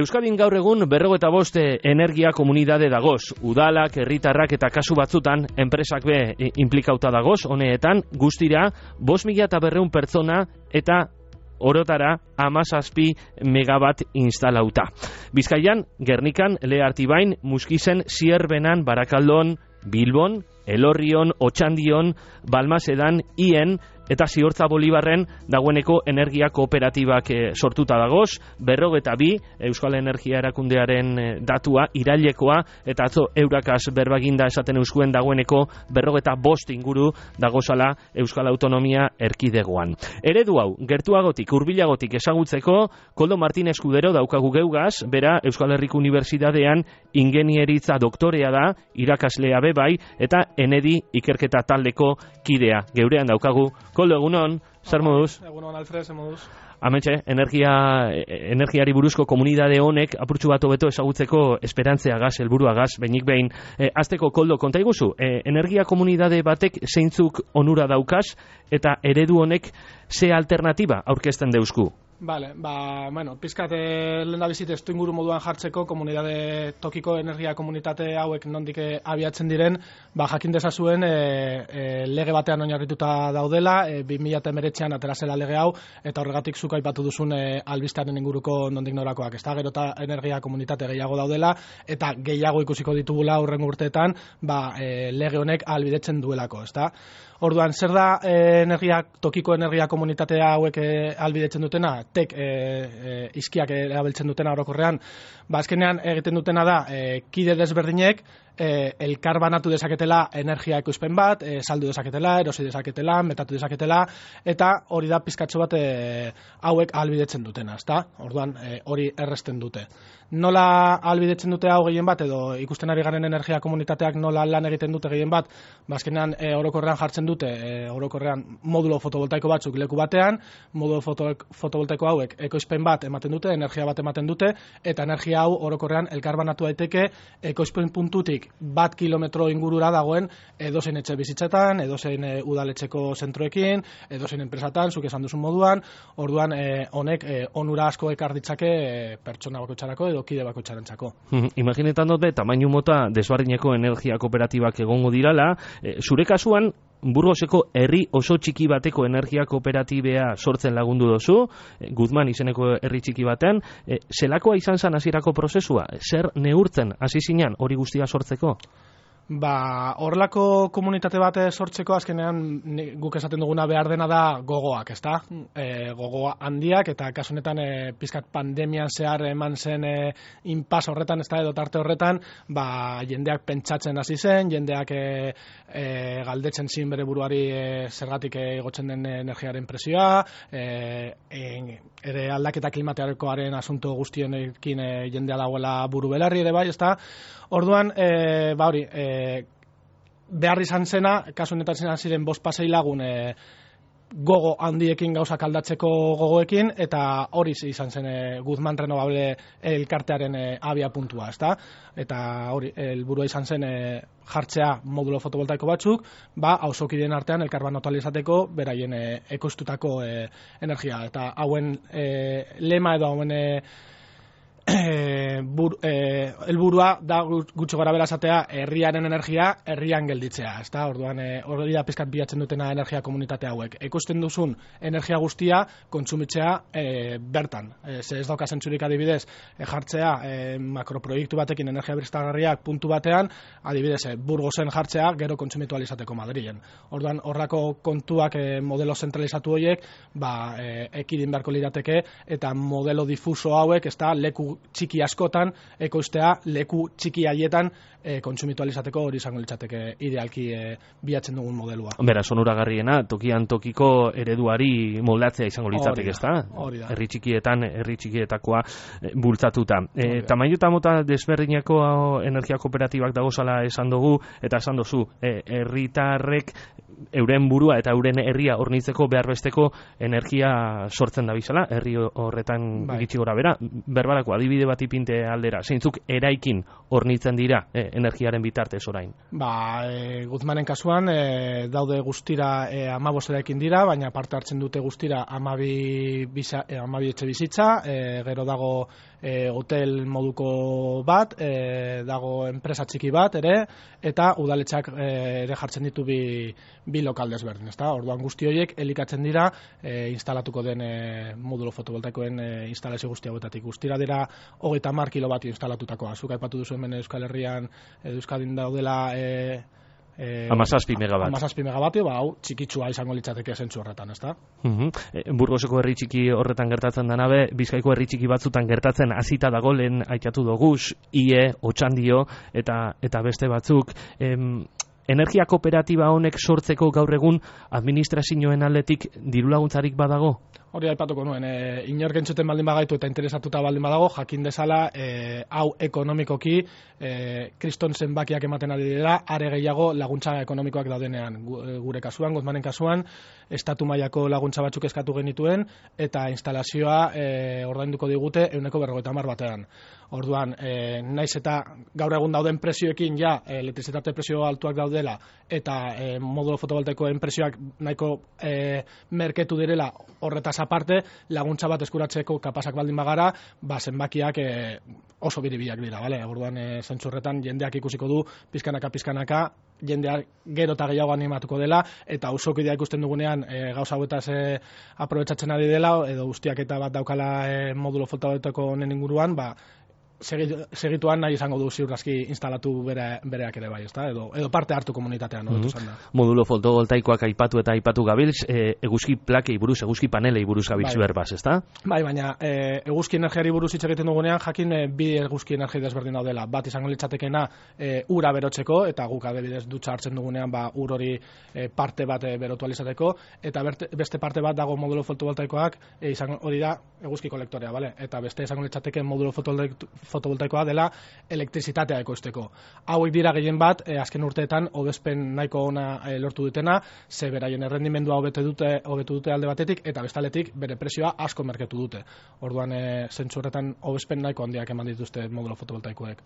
Euskadin gaur egun 45 energia komunidade dagoz. Udalak, herritarrak eta kasu batzutan enpresak be implikauta dagoz, honeetan guztira 5.200 pertsona eta orotara 17 megabat instalauta. Bizkaian, Gernikan, Leartibain, Muskizen, Zierbenan, Barakaldon, Bilbon, Elorrion, Otxandion, Balmasedan, Ien eta Ziortza Bolibarren dagoeneko energia kooperatibak sortuta dagoz, 42 Euskal Energia Erakundearen datua, irailekoa, eta atzo Eurakaz berbaginda esaten euskuen dagoeneko 45 inguru dagozala Euskal Autonomia Erkidegoan. Eredu hau, gertuagotik, hurbilagotik ezagutzeko, Koldo Martin Eskudero daukagu geugaz, bera Euskal Herriko Unibertsitatean ingenieritza doktorea da, irakaslea bebai, eta Enedi ikerketa taldeko kidea. Geurean daukagu. Koldo, egunon, zer moduz? Egunon, Alfred, zer moduz? Ametxe, energiari buruzko komunidade honek apurtxu bat hobeto ezagutzeko esperantzea gaz, helburua gaz, behinik behin. Azteko, Koldo, konta iguzu, energia komunidade batek zeintzuk onura daukaz eta eredu honek ze alternatiba aurkezten deusku? Vale, pizkat lehen da bizit estu inguru moduan jartzeko komunidade tokiko energia komunitate hauek nondik abiatzen diren, jakin dezazuen lege batean oinarrituta daudela, 2019an atera zela lege hau, eta horregatik zuk aipatu duzun albistearen inguruko nondik norakoak, ezta? Gero eta energia komunitate gehiago daudela, eta gehiago ikusiko ditugula hurrengo urteetan, lege honek ahalbidetzen duelako, ezta? Orduan, zer da tokiko energia komunitatea hauek ahalbidetzen dutena? Tek izkiak erabiltzen dutena orokorrean, azkenean egiten dutena da kide desberdinek elkar banatu dezaketela energia ekoizpen bat, saldu dezaketela, erosi dezaketela, metatu dezaketela, eta hori da pizkatxo bat hauek ahalbidetzen dutena, ezta? Orduan, hori erresten dute. Nola ahalbidetzen dute hau gehien bat, edo ikusten ari garen energia komunitateak nola lan egiten dute gehien bat, azkenean orokorrean jartzen dute, orokorrean modulo fotovoltaiko batzuk leku batean, modulo fotovoltaiko hauek ekoizpen bat ematen dute, energia bat ematen dute, eta energia hau orokorrean elkarbanatu daiteke ekoizpen puntutik 1 kilometro ingurura dagoen edozein etxe bizitzetan, edozein udaletxeko zentroekin, edozein enpresatan, zuk esan duzun moduan, orduan honek onura asko ekar ditzake pertsona bakoitzarako edo kide bakoitzarentzako. Imaginetan dut tamainu mota desbardineko energia kooperatibak egongo dirala, zure kasuan Burgoseko herri oso txiki bateko energia kooperatibea sortzen lagundu dozu, Guzman izeneko herri txiki batean, zelakoa izan zen hasierako prozesua? Zer neurtzen hasi zinan hori guztia sortzeko? Horrelako komunitate bat sortzeko azkenean guk esaten duguna behar dena da gogoak, ezta? Gogoa handiak, eta kasu honetan pizkat pandemian zehar eman zen inpas horretan, ezta, edo tarte horretan, jendeak pentsatzen hasi zen, jendeak galdetzen zin bere buruari zergatik igotzen den energiaren presioa, ere aldaketa klimatikoaren asunto guztienekin jendea dagoela buru belarri ere bai, ezta? Orduan, hori, behar izan zena, kasu honetan ziren 5-6 lagun gogo handiekin gauzak aldatzeko gogoekin, eta hori izan zen Guzman Renovable elkartearen abia puntua, ezta? Eta hori, helburua izan zen jartzea modulo fotovoltaiko batzuk, auzokideen artean elkarbanatu ahal izateko beraien ekoiztutako energia. Eta hauen lema edo hauen helburua da gutxi gorabehera esatea herriaren energia herrian gelditzea, ezta? Orduan hori da pizkat bilatzen dutena energia komunitate hauek. Ekoizten duzun energia guztia kontsumitzea bertan. Ez dauka zentzurik adibidez jartzea makroproiektu batekin energia berriztagarriak puntu batean, adibidez Burgosen jartzea gero kontsumitu ahal izateko Madrilen. Orduan horrako kontuak modelo zentralizatu horiek ekidin beharko lirateke, eta modelo difuso hauek, ezta, leku txiki askotan ekoiztea, leku txiki haietan kontsumitu ahal izateko, hori izango litzateke idealki bilatzen dugun modelua. Beraz, onuragarriena tokian tokiko ereduari moldatzea izango litzateke, ezta? Herri txikietan, herri txikietakoa bultzatuta. Tamainu eta mota desberdinako energia kooperatibak dagozala esan dugu, eta esan duzu, herritarrek euren burua eta euren herria hornitzeko behar besteko energia sortzen da bizala, herri horretan iritsi gora bera. Berbarako adibidez ibilbide bat ipinte aldera, zeintzuk eraikin hornitzen dira energiaren bitartez orain? Guzmanen kasuan daude guztira 15 eraikin dira, baina parte hartzen dute guztira 12 etxe bizitza, gero dago hotel moduko bat, dago enpresa txiki bat ere, eta udaletxak ere jartzen ditu bi lokal desberdin, ezta? Orduan guzti horiek elikatzen dira instalatuko den modulo fotovoltaikoen instalazio guzti hauetatik. Guztira dira 30 kilovatio instalatutakoa. Zuk aipatu duzu hemen Euskal Herrian, Euskadin daudela 17 megabat. 17 megabatio, hau txikitsua izango litzateke zentzu horretan, ezta? Burgoseko herri txiki horretan gertatzen danabe, Bizkaiko herri txiki batzutan gertatzen hasita dago, lehen aitatu doguz, IE, Otxandio eta beste batzuk. Energia kooperatiba honek sortzeko gaur egun administrazioen aldetik dirulaguntzarik badago? Hori aipatuko nuen, inork entzuten baldin bagaitu eta interesatuta baldin badago, jakin dezala hau ekonomikoki kriston zenbakiak ematen ari dira, are gehiago laguntza ekonomikoak daudenean. Gure kasuan, Guzmanen kasuan, estatu mailako laguntza batzuk eskatu genituen eta instalazioa ordainduko digute 150 batean. Orduan, naiz eta gaur egun dauden prezioekin elektrizitate prezio altuak daudela eta modulo fotovoltaikoen prezioak nahiko merketu direla, horretaz aparte, laguntza bat eskuratzeko kapasak baldin bagara, zenbakiak oso biribilak dira, bale? Orduan, zentzu horretan jendeak ikusiko du pizkanaka, jendeak gero eta gehiago animatuko dela, eta auzokidea ikusten dugunean gauza hauetaz aprobetxatzen ari dela, edo guztiak eta bat daukala modulo fotovoltaiko honen inguruan, segituan nahi izango du ziurrazki instalatu bereak ere bai, ezta? Edo parte hartu komunitatean, Modulo fotovoltaikoak aipatu gabiltz, eguzki plakei buruz, eguzki panelei buruz gabiltz berbaz, ezta? Bai, baina eguzki energiari buruz hitz egiten dugunean, jakin bi eguzki energia desberdin daudela. Bat izango litzatekena ura berotzeko, eta guk adibidez dutxa hartzen dugunean ur hori parte bat berotu alizateko, eta beste parte bat dago modulo fotovoltaikoak, hori da eguzki kolektorea, bale? Eta beste izango litzateke modulo fotovoltaikoa dela elektrizitatea ekoizteko. Hauek dira gehien bat, azken urteetan hobespen nahiko ona lortu dutena, ze beraien errendimendua hobetu dute alde batetik, eta bestaletik bere prezioa asko merketu dute. Orduan, zentzu horretan hobespen nahiko handiak eman dituzte modulo fotovoltaikoek.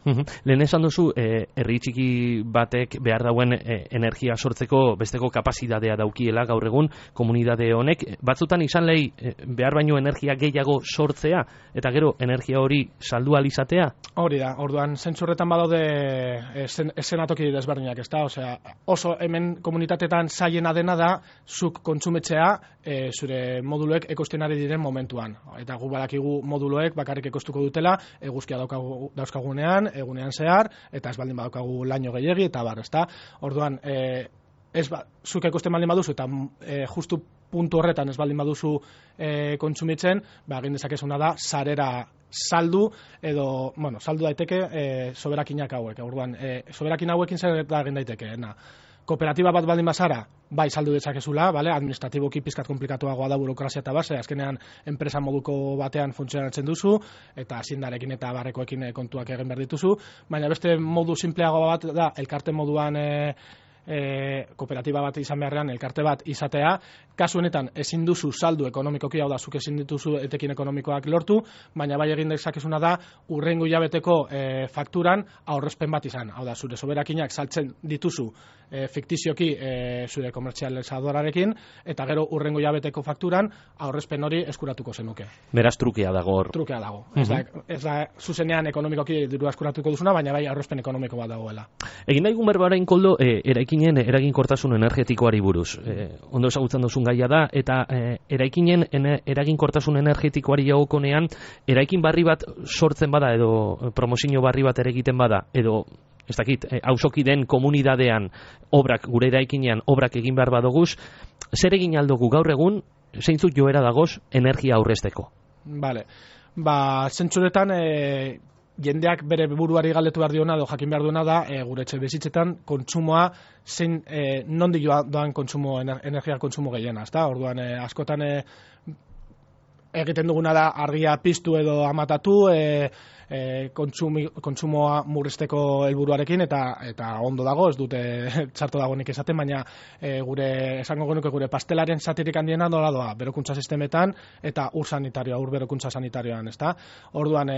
Lehen esan duzu, herri txiki batek behar dauen energia sortzeko besteko kapazitatea daukiela gaur egun komunidade honek, batzutan izan lehi behar baino energia gehiago sortzea, eta gero energia hori saldu alizatea? Hori da, orduan zentzu horretan badaude eszenatoki desberdinak, ezta? Osea, oso hemen komunitatetan zaiena dena da zuk kontsumetzea zure moduloek ekoizten ari diren momentuan. Eta gu badakigu moduloek bakarrik ekoiztuko dutela, eguzkia dauzkagunean, egunean zehar, eta ez baldin badaukagu laino gehiegi, eta bar, ezta? Orduan, zuk ekoizten baldin baduzu, eta justu puntu horretan ez baldin baduzu kontsumitzen, egin dezakezuna da sarera saldu, edo, saldu daiteke soberakinak hauek. Orduan, soberakin hauekin zer egin daiteke, kooperatiba bat baldin bazara, bai saldu dezakezula, administratiboki pizkat komplikatuagoa da burokrazia eta base, azkenean enpresa moduko batean funtzionatzen duzu, eta zindarekin eta barrekoekin kontuak egin behar dituzu, baina beste modu simpleago bat da, elkarte moduan kooperatiba bat izan beharrean, elkarte bat izatea, kasu honetan ezin duzu saldu ekonomikoki, hau da, zuk ezin dituzu etekin ekonomikoak lortu, baina bai egin dezakezuna da, urrengo hilabeteko fakturan aurrezpen bat izan, hau da, zure soberakinak saltzen dituzu fiktizioki zure komertzializadorarekin, eta gero urrengo hilabeteko fakturan aurrezpen hori eskuratuko zenuke. Beraz, trukea dago hor. Trukea dago. Ez da zuzenean ekonomikoki dirua eskuratuko duzuna, baina bai aurrezpen ekonomiko bat dagoela. Egin daigun berbarain, Koldo, eraikinen eraginkortasun energetikoari buruz. Ondo ezagutzen duzun gaia da, eta eraikinen eraginkortasun energetikoari jagokonean, eraikin barri bat sortzen bada, edo promozio barri bat ere egiten bada, edo ez dakit, auzoki den komunidadean gure eraikinean obrak egin behar badoguz, zer egin aldugu gaur egun, zeintzuk joera dagoz energia aurrezteko? Bale, zentzuretan jendeak bere buruari galdetu behar diona, edo jakin behar duena da, gure etxe bizitzetan kontsumoa zein nondik doan energia kontsumo gehiena, ezta? Orduan, askotan egiten duguna da argia piztu edo amatatu, kontsumoa murrizteko helburuarekin eta ondo dago, ez dute txarto dagoenik esaten, baina esango genuke gure pastelaren zatirik handiena nola doa, berokuntza sistemetan eta ur berokuntza sanitarioan, ezta? Orduan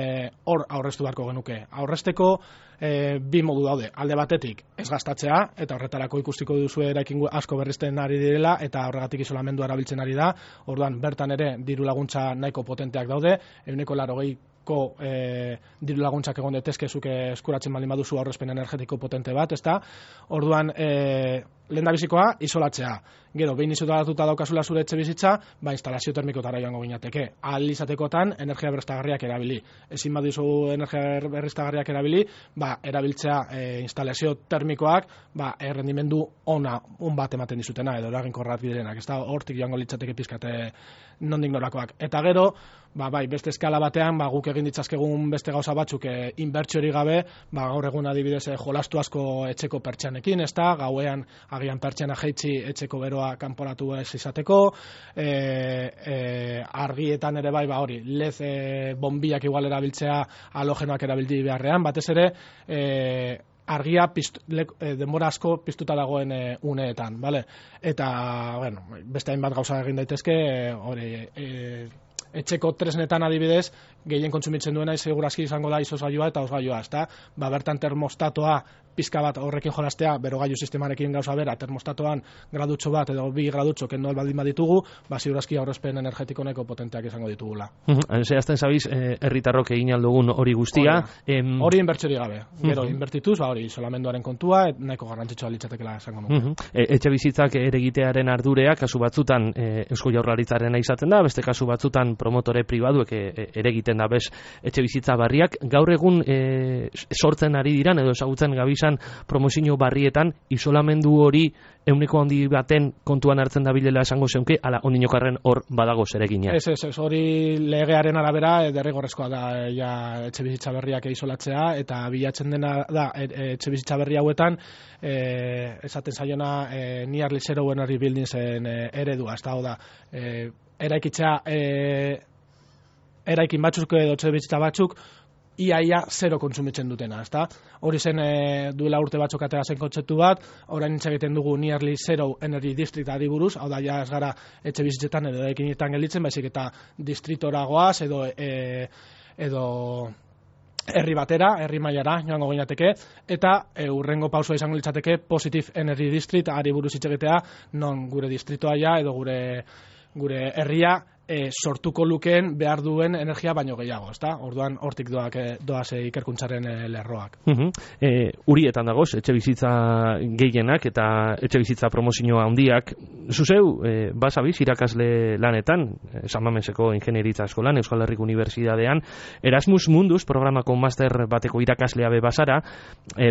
hor aurreztu beharko genuke. Aurrezteko bi modu daude, alde batetik ez gastatzea, eta horretarako ikustiko duzu eraikin asko berrizten ari direla, eta horregatik isolamendua erabiltzen ari da, orduan bertan ere diru laguntza nahiko potenteak daude, 80% diru laguntzak egon daitezke zuk eskuratzen baldin baduzu aurrezpen energetiko potente bat, ezta? Orduan lehendabizikoa isolatzea. Gero, behin isolatuta daukazula zure etxe bizitza, instalazio termikotara joango ginateke. Ahal izatekotan energia berriztagarriak erabili. Ezin baduzu energia berriztagarriak erabili, erabiltzea instalazio termikoak errendimendu on bat ematen dizutena edo eraginkorrak direnak. Ez da hortik joango litzateke pizkate nondik norakoak. Eta gero, beste eskala batean, guk egin ditzazkegun beste gauza batzuk inbertsiori gabe, gaur egun adibidez jolastu asko etxeko pertsianekin, ez da, gauean agian pertsiana jaitsi etxeko beroa kanporatu ez izateko, argietan ere hori, lez bombiak igual erabiltzea halogenoak erabildi beharrean, batez ere, argia denbora asko piztuta dagoen uneetan, bale? Eta, beste hainbat gauza egin daitezke, etxeko tresnetan adibidez, gehien kontsumitzen duena segurazki izango da izozgailua eta hozgailua, ezta? Bertan termostatoa pizka bat horrekin jolastea, berogailu sistemarekin gauza bera, termostatoan gradutxo bat edo 2 gradutxo kendu baldin baditugu, segurazki aurrezpen energetiko nahiko potenteak izango ditugula. Zehazten zabiz, herritarrok egin aldugun hori guztia. Hori inbertsiori gabe. Gero, inbertituz, hori isolamenduaren kontua, nahiko garrantzitsua litzatekela esango nuke. Etxe bizitzak eregitearen ardurea, kasu batzutan Eusko Jaurlaritzarena izaten da, beste kasu batzutan promotore pribaduek eregiten da bez etxe bizitza barriak. Gaur egun sortzen ari diran edo ezagutzen gabizan promozio barrietan isolamendu hori euneko handi baten kontuan hartzen da bilela esango zeunke, ala ondinokarren hor badago zeregina. Ez, hori legearen arabera derrigorrezkoa da etxe bizitza berriak isolatzea, eta bilatzen dena da etxe bizitza berri hauetan esaten zaiona nearly zero energy buildingsen eredua, ez da, eraikitzea eraikin batzuk edo etxe bizitza batzuk iaia zero kontsumitzen dutena, ezta? Hori zen duela urte batzuk atera zen kontzeptu bat, orain hitz egiten dugu nearly zero energy district adiburuz, hau da ja ez gara etxe bizitzetan edo eraikinetan gelditzen, baizik eta distritora goaz edo herri batera, herri mailara joango ginateke, eta hurrengo pausua izango litzateke positive energy district ari buruz hitz egitea, non gure distritoa ja edo gure herria sortuko lukeen behar duen energia baino gehiago, ezta? Orduan hortik doaz ikerkuntzaren lerroak. Urietan dagoz, etxe bizitza gehienak eta etxe bizitza promozioa handiak. Zuzeu, basabiz irakasle lanetan, San Mameseko Ingenieritza Eskolan, Euskal Herriko Unibertsitatean, Erasmus Mundus programako master bateko irakaslea be basara,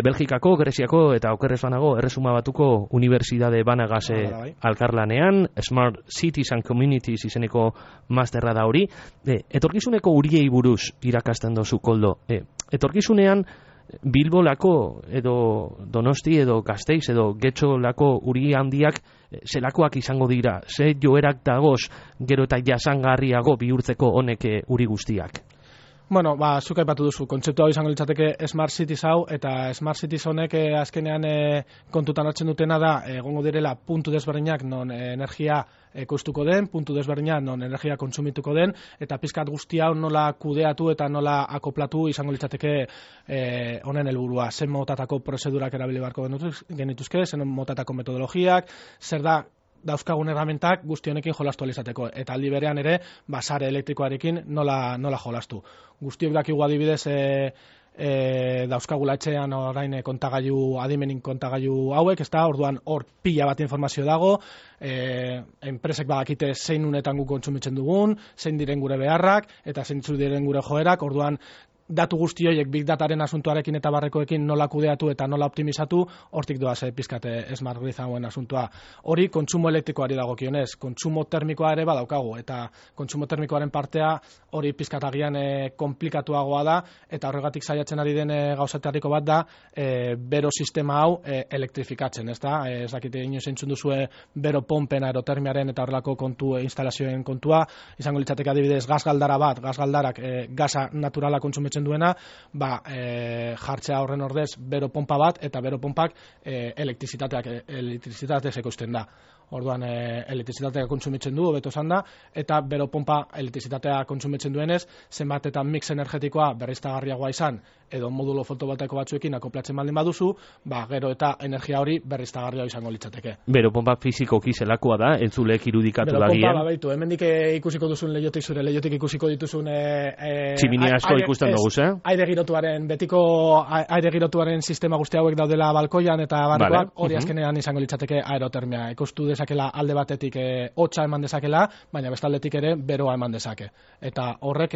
Belgikako, Greziako eta okerrez banago Erresuma Batuko Unibertsitate banagase alkarlanean, Smart Cities and Communities izeneko masterra da hori. Etorkizuneko uriei buruz irakasten dozu, Koldo. Etorkizunean Bilbolako edo Donosti edo Gasteiz edo Getxolako uri handiak zelakoak izango dira, ze joerak dagoz gero eta jasangarriago bihurtzeko honek uri guztiak? Bueno, zuk aipatu duzu, kontzeptu hau izango litzateke Smart Cities hau, eta Smart Cities honek azkenean kontutan hartzen dutena da, egongo direla puntu desberdinak non energia ekoiztuko den, puntu desberdinak non energia kontsumituko den, eta pizkat guzti hau nola kudeatu eta nola akoplatu izango litzateke honen helburua. Zen motatako prozedurak erabili beharko genituzke, zen motatako metodologiak, zer da dauzkagun erramentak guzti honekin jolastu alizateko, eta aldi berean ere sare elektrikoarekin nola jolastu. Guztiok dakigu adibidez dauzkagula etxean orain adimenin kontagailu hauek, ez da, orduan hor pila bat informazio dago, enpresek badakite zein unetan guk kontsumitzen dugun, zein diren gure beharrak, eta zein diren gure joerak, orduan datu guzti horiek big dataren asuntuarekin eta barrekoekin nola kudeatu eta nola optimizatu, hortik doaz pizkate smart grid hauen asuntua. Hori kontsumo elektrikoari dagokionez, kontsumo termikoa ere badaukagu, eta kontsumo termikoaren partea hori pizkatagian komplikatuagoa da, eta horregatik saiatzen ari den gauzatariko bat da, bero sistema hau elektrifikatzen, ez da? Ez dakite inoiz entzun duzue bero pompen aerotermiaren eta horrelako instalazioen kontua, izango litzateke adibidez gasgaldara bat, gasgaldarak gasa naturala kontsumitzen duena, jartzea horren ordez bero pompa bat, eta bero pompak elektrizitateaz ekoizten da. Orduan elektrizitatea kontsumitzen du, hobeto esan da, eta bero pompa elektrizitatea kontsumitzen duenez, zenbat eta mix energetikoa berriztagarriagoa izan, edo modulo fotovoltaiko batzuekin akoplatzen baldin baduzu, gero eta energia hori berriztagarria izango litzateke. Bero pompa fizikoki zelakoa da, entzulek irudikatu da gian. Bero pompa, baitu, hemendik ikusiko duzun lehiotik zure, lehiotik ikusiko dituzun tximinia asko ikusten dugu, aire girotuaren, betiko aire girotuaren sistema guzti hauek daudela balkoian eta barrekoak, hori azkenean izango litzateke aerotermia. Ikustu dezakela alde batetik hotza eman dezakela, baina bestaldetik ere beroa eman dezake. Eta horrek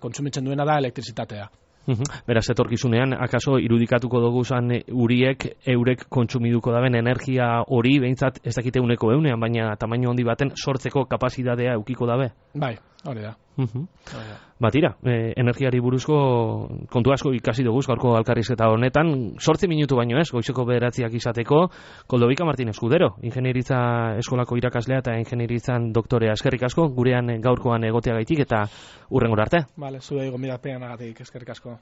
kontsumitzen duena da elektrizitatea. Beraz, etorkizunean, akaso irudikatuko dugu zan uriek, eurek kontsumiduko daben energia hori, behintzat ez dakite uneko eunean, baina tamaino handi baten sortzeko kapazitatea eukiko dabe? Bai, hori da. Tira, energiari buruzko kontu asko ikasi dugu gaurko elkarrizketa honetan, 8 minutu baino ez, goizeko 9 izateko, Koldobika Martin Eskudero, ingenieritza eskolako irakaslea eta ingenieritzan doktorea. Eskerrik asko, gurean gaurkoan egoteagaitik eta hurrengora arte. Vale, zuei gonbidapean agatik, eskerrik asko.